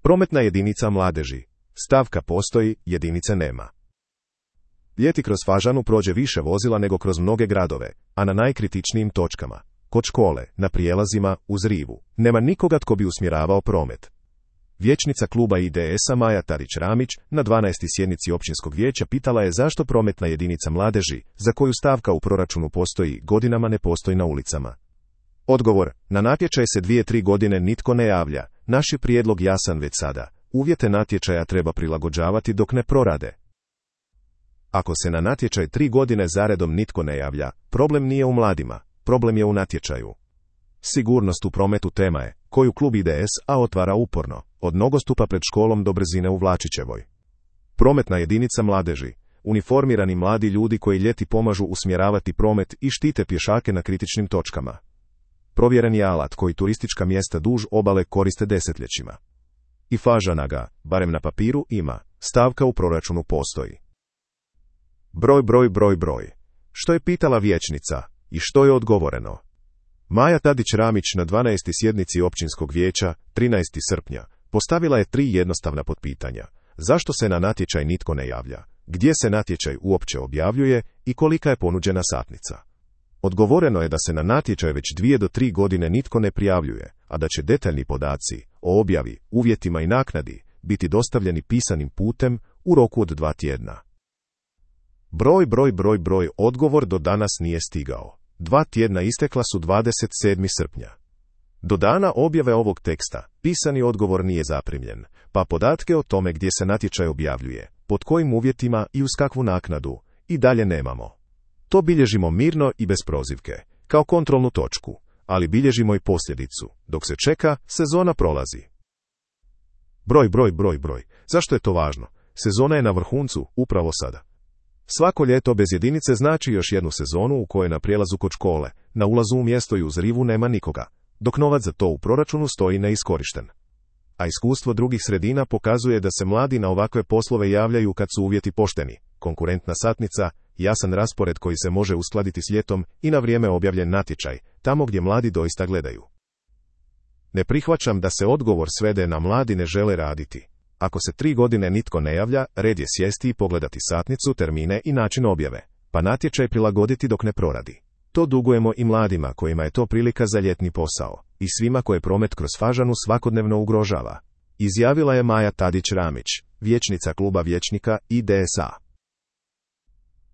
Prometna jedinica mladeži. Stavka postoji, jedinice nema. Ljeti kroz Fažanu prođe više vozila nego kroz mnoge gradove, a na najkritičnijim točkama, kod škole, na prijelazima, uz rivu, nema nikoga tko bi usmjeravao promet. Vijećnica kluba IDS-a Maja Tadić-Ramić na 12. sjednici općinskog vijeća pitala je zašto prometna jedinica mladeži, za koju stavka u proračunu postoji, godinama ne postoji na ulicama. Odgovor: na natječaj se 2-3 godine nitko ne javlja, naš je prijedlog jasan već sada, uvjete natječaja treba prilagođavati dok ne prorade. Ako se na natječaj 3 godine zaredom nitko ne javlja, problem nije u mladima, problem je u natječaju. Sigurnost u prometu tema je, koju klub IDS-a otvara uporno, od nogostupa pred školom do brzine u Vlačićevoj. Prometna jedinica mladeži, uniformirani mladi ljudi koji ljeti pomažu usmjeravati promet i štite pješake na kritičnim točkama. Provjeren je alat koji turistička mjesta duž obale koriste desetljećima. I Fažana ga, barem na papiru, ima, stavka u proračunu postoji. Broj. Što je pitala vijećnica i što je odgovoreno? Maja Tadić-Ramić na 12. sjednici općinskog vijeća, 13. srpnja, postavila je 3 jednostavna potpitanja. Zašto se na natječaj nitko ne javlja? Gdje se natječaj uopće objavljuje i kolika je ponuđena satnica? Odgovoreno je da se na natječaj već 2 do 3 godine nitko ne prijavljuje, a da će detaljni podaci o objavi, uvjetima i naknadi biti dostavljeni pisanim putem u roku od 2 tjedna. Broj, odgovor do danas nije stigao. 2 tjedna istekla su 27. srpnja. Do dana objave ovog teksta, pisani odgovor nije zaprimljen, pa podatke o tome gdje se natječaj objavljuje, pod kojim uvjetima i uz kakvu naknadu, i dalje nemamo. To bilježimo mirno i bez prozivke, kao kontrolnu točku, ali bilježimo i posljedicu. Dok se čeka, sezona prolazi. Broj. Zašto je to važno? Sezona je na vrhuncu, upravo sada. Svako ljeto bez jedinice znači još jednu sezonu u kojoj na prijelazu kod škole, na ulazu u mjesto i uz rivu nema nikoga, dok novac za to u proračunu stoji neiskorišten. A iskustvo drugih sredina pokazuje da se mladi na ovakve poslove javljaju kad su uvjeti pošteni, konkurentna satnica, jasan raspored koji se može uskladiti s ljetom i na vrijeme objavljen natječaj, tamo gdje mladi doista gledaju. Ne prihvaćam da se odgovor svede na mladi ne žele raditi. Ako se 3 godine nitko ne javlja, red je sjesti i pogledati satnicu, termine i način objave, pa natječaj prilagoditi dok ne proradi. To dugujemo i mladima kojima je to prilika za ljetni posao, i svima koje promet kroz Fažanu svakodnevno ugrožava. Izjavila je Maja Tadić-Ramić, vijećnica kluba vijećnika IDS-a.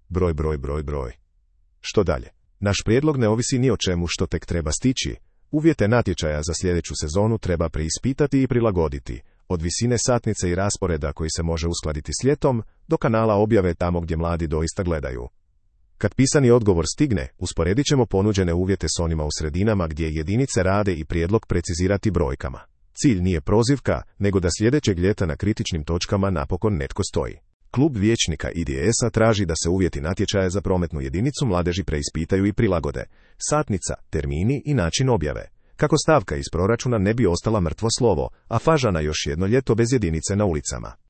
Broj. Što dalje? Naš prijedlog ne ovisi ni o čemu što tek treba stići. Uvjete natječaja za sljedeću sezonu treba preispitati i prilagoditi, od visine satnice i rasporeda koji se može uskladiti s ljetom, do kanala objave tamo gdje mladi doista gledaju. Kad pisani odgovor stigne, usporedit ćemo ponuđene uvjete s onima u sredinama gdje jedinice rade i prijedlog precizirati brojkama. Cilj nije prozivka, nego da sljedećeg ljeta na kritičnim točkama napokon netko stoji. Klub vijećnika IDS-a traži da se uvjeti natječaja za prometnu jedinicu mladeži preispitaju i prilagode, satnica, termini i način objave, kako stavka iz proračuna ne bi ostala mrtvo slovo, a Fažana još jedno ljeto bez jedinice na ulicama.